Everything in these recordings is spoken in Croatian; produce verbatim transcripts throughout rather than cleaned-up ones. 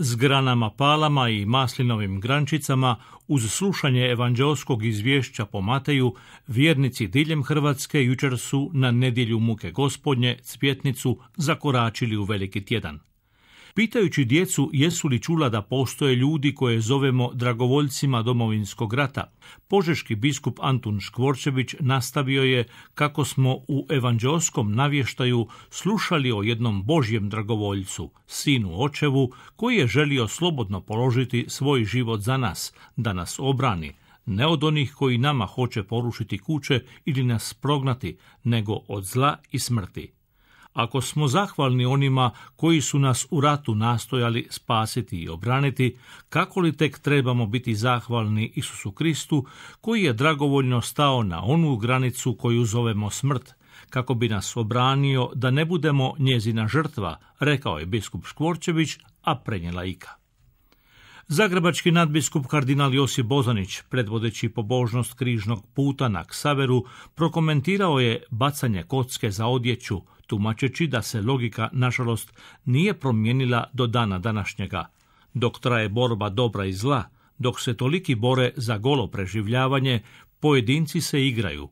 S granama palama i maslinovim grančicama, uz slušanje evanđeoskog izvješća po Mateju, vjernici diljem Hrvatske jučer su na nedjelju muke Gospodnje, Cvjetnicu, zakoračili u Veliki tjedan. Pitajući djecu jesu li čula da postoje ljudi koje zovemo dragovoljcima Domovinskog rata, požeški biskup Antun Škvorčević nastavio je kako smo u evanđeoskom navještaju slušali o jednom Božjem dragovoljcu, sinu očevu, koji je želio slobodno položiti svoj život za nas, da nas obrani, ne od onih koji nama hoće porušiti kuće ili nas prognati, nego od zla i smrti. Ako smo zahvalni onima koji su nas u ratu nastojali spasiti i obraniti, kako li tek trebamo biti zahvalni Isusu Kristu, koji je dragovoljno stao na onu granicu koju zovemo smrt, kako bi nas obranio da ne budemo njezina žrtva, rekao je biskup Škvorčević, a prenijela Ika. Zagrebački nadbiskup kardinal Josip Bozanić, predvodeći pobožnost križnog puta na Ksaveru, prokomentirao je bacanje kocke za odjeću, tumačeći da se logika, nažalost, nije promijenila do dana današnjega. Dok traje borba dobra i zla, dok se toliki bore za golo preživljavanje, pojedinci se igraju.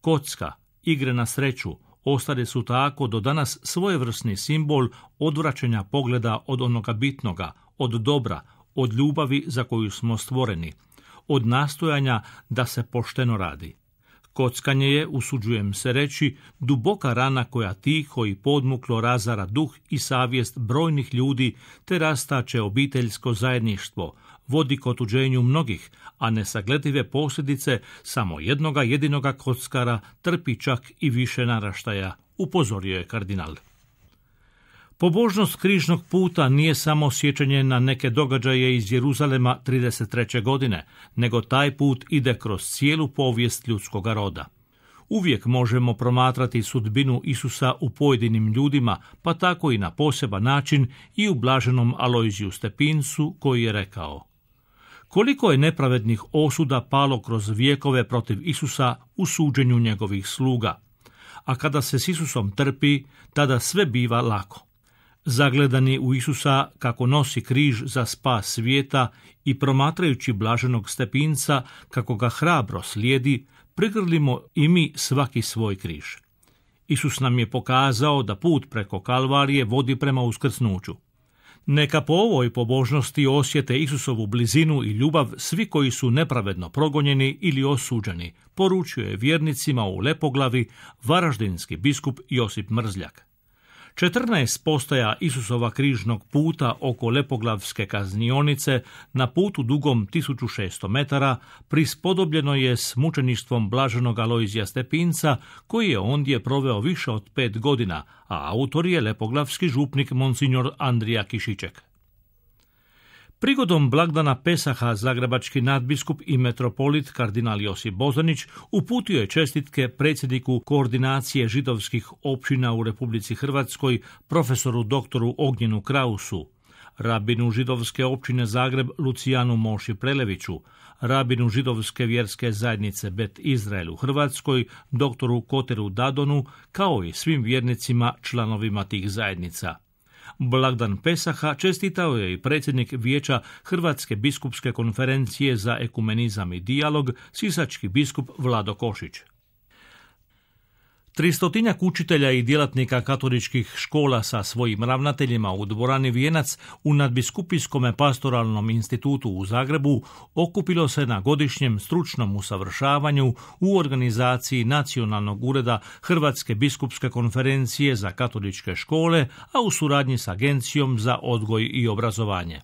Kocka, igre na sreću, ostale su tako do danas svojevrsni simbol odvraćanja pogleda od onoga bitnoga, od dobra, od ljubavi za koju smo stvoreni, od nastojanja da se pošteno radi. Kockanje je, usuđujem se reći, duboka rana koja tiho i podmuklo razara duh i savjest brojnih ljudi te rastače obiteljsko zajedništvo, vodi k otuđenju mnogih, a nesagledive posljedice samo jednoga jedinoga kockara trpi čak i više naraštaja, upozorio je kardinal. Pobožnost križnog puta nije samo sjećanje na neke događaje iz Jeruzalema trideset treće godine, nego taj put ide kroz cijelu povijest ljudskoga roda. Uvijek možemo promatrati sudbinu Isusa u pojedinim ljudima, pa tako i na poseban način i u blaženom Alojziju Stepincu, koji je rekao: koliko je nepravednih osuda palo kroz vjekove protiv Isusa u suđenju njegovih sluga, a kada se s Isusom trpi, tada sve biva lako. Zagledani u Isusa kako nosi križ za spas svijeta i promatrajući blaženog Stepinca kako ga hrabro slijedi, prigrlimo i mi svaki svoj križ. Isus nam je pokazao da put preko Kalvarije vodi prema uskrsnuću. Neka po ovoj pobožnosti osjete Isusovu blizinu i ljubav svi koji su nepravedno progonjeni ili osuđeni, poručio je vjernicima u Lepoglavi varaždinski biskup Josip Mrzljak. četrnaest postaja Isusova križnog puta oko Lepoglavske kaznionice na putu dugom tisuću šesto metara prispodobljeno je s mučeništvom blaženog Alojzija Stepinca, koji je ondje proveo više od pet godina, a autor je lepoglavski župnik monsignor Andrija Kišiček. Prigodom blagdana Pesaha zagrebački nadbiskup i metropolit kardinal Josip Bozanić uputio je čestitke predsjedniku koordinacije židovskih općina u Republici Hrvatskoj, profesoru doktoru Ognjenu Krausu, rabinu židovske općine Zagreb Lucijanu Moši Preleviću, rabinu židovske vjerske zajednice Bet Izrael u Hrvatskoj, doktoru Koteru Dadonu, kao i svim vjernicima članovima tih zajednica. Blagdan Pesaha čestitao je i predsjednik Vijeća Hrvatske biskupske konferencije za ekumenizam i dijalog, sisački biskup Vlado Košić. Tristotinjak učitelja i djelatnika katoličkih škola sa svojim ravnateljima u dvorani Vijenac u nadbiskupijskom pastoralnom institutu u Zagrebu okupilo se na godišnjem stručnom usavršavanju u organizaciji Nacionalnog ureda Hrvatske biskupske konferencije za katoličke škole, a u suradnji s Agencijom za odgoj i obrazovanje.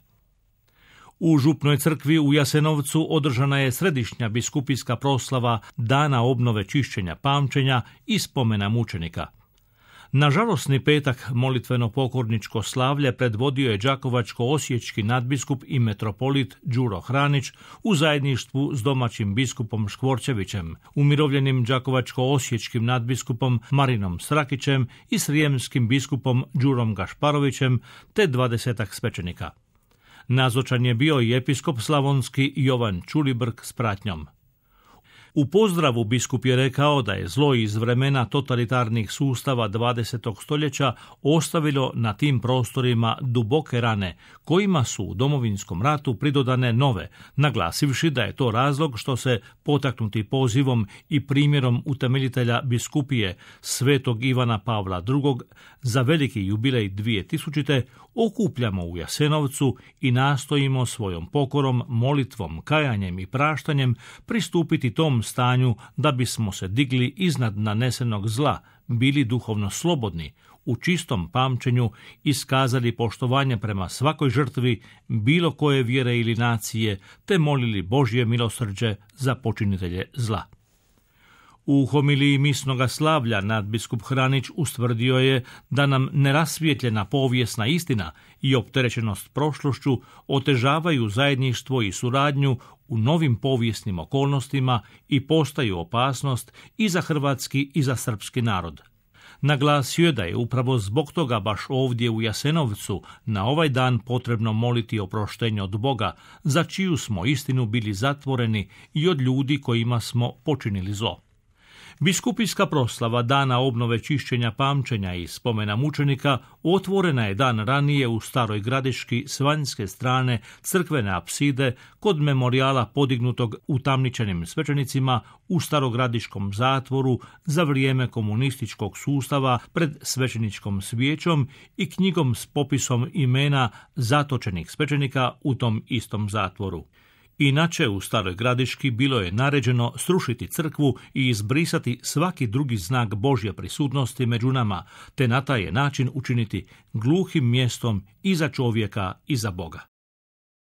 U Župnoj crkvi u Jasenovcu održana je središnja biskupijska proslava Dana obnove čišćenja pamćenja i spomena mučenika. Na žalosni petak molitveno pokorničko slavlje predvodio je đakovačko-osječki nadbiskup i metropolit Đuro Hranić u zajedništvu s domaćim biskupom Škvorčevićem, umirovljenim đakovačko-osječkim nadbiskupom Marinom Srakićem i srijemskim biskupom Đurom Gašparovićem te dvadesetak svećenika. Nazočan je bio i episkop slavonski Jovan Čulibrk s pratnjom. U pozdravu biskup je rekao da je zlo iz vremena totalitarnih sustava dvadesetog stoljeća ostavilo na tim prostorima duboke rane, kojima su u Domovinskom ratu pridodane nove, naglasivši da je to razlog što se, potaknuti pozivom i primjerom utemeljitelja biskupije svetog Ivana Pavla drugog, za veliki jubilej dvije tisućite okupljamo u Jasenovcu i nastojimo svojom pokorom, molitvom, kajanjem i praštanjem pristupiti tom stanju da bismo se digli iznad nanesenog zla, bili duhovno slobodni, u čistom pamćenju iskazali poštovanje prema svakoj žrtvi bilo koje vjere ili nacije, te molili Božje milosrđe za počinitelje zla. U homiliji misnoga slavlja nadbiskup Hranić ustvrdio je da nam nerasvijetljena povijesna istina i opterećenost prošlošću otežavaju zajedništvo i suradnju u novim povijesnim okolnostima i postaju opasnost i za hrvatski i za srpski narod. Naglasio je da je upravo zbog toga baš ovdje u Jasenovcu na ovaj dan potrebno moliti oproštenje od Boga, za čiju smo istinu bili zatvoreni i od ljudi kojima smo počinili zlo. Biskupijska proslava Dana obnove čišćenja pamćenja i spomena mučenika otvorena je dan ranije u Staroj Gradiški s vanjske strane crkvene apside kod memorijala podignutog utamničenim svećenicima u Starogradiškom zatvoru za vrijeme komunističkog sustava pred svećeničkom svijećom i knjigom s popisom imena zatočenih svećenika u tom istom zatvoru. Inače, u Staroj Gradiški bilo je naređeno srušiti crkvu i izbrisati svaki drugi znak Božje prisutnosti među nama, te na taj način učiniti gluhim mjestom i za čovjeka i za Boga.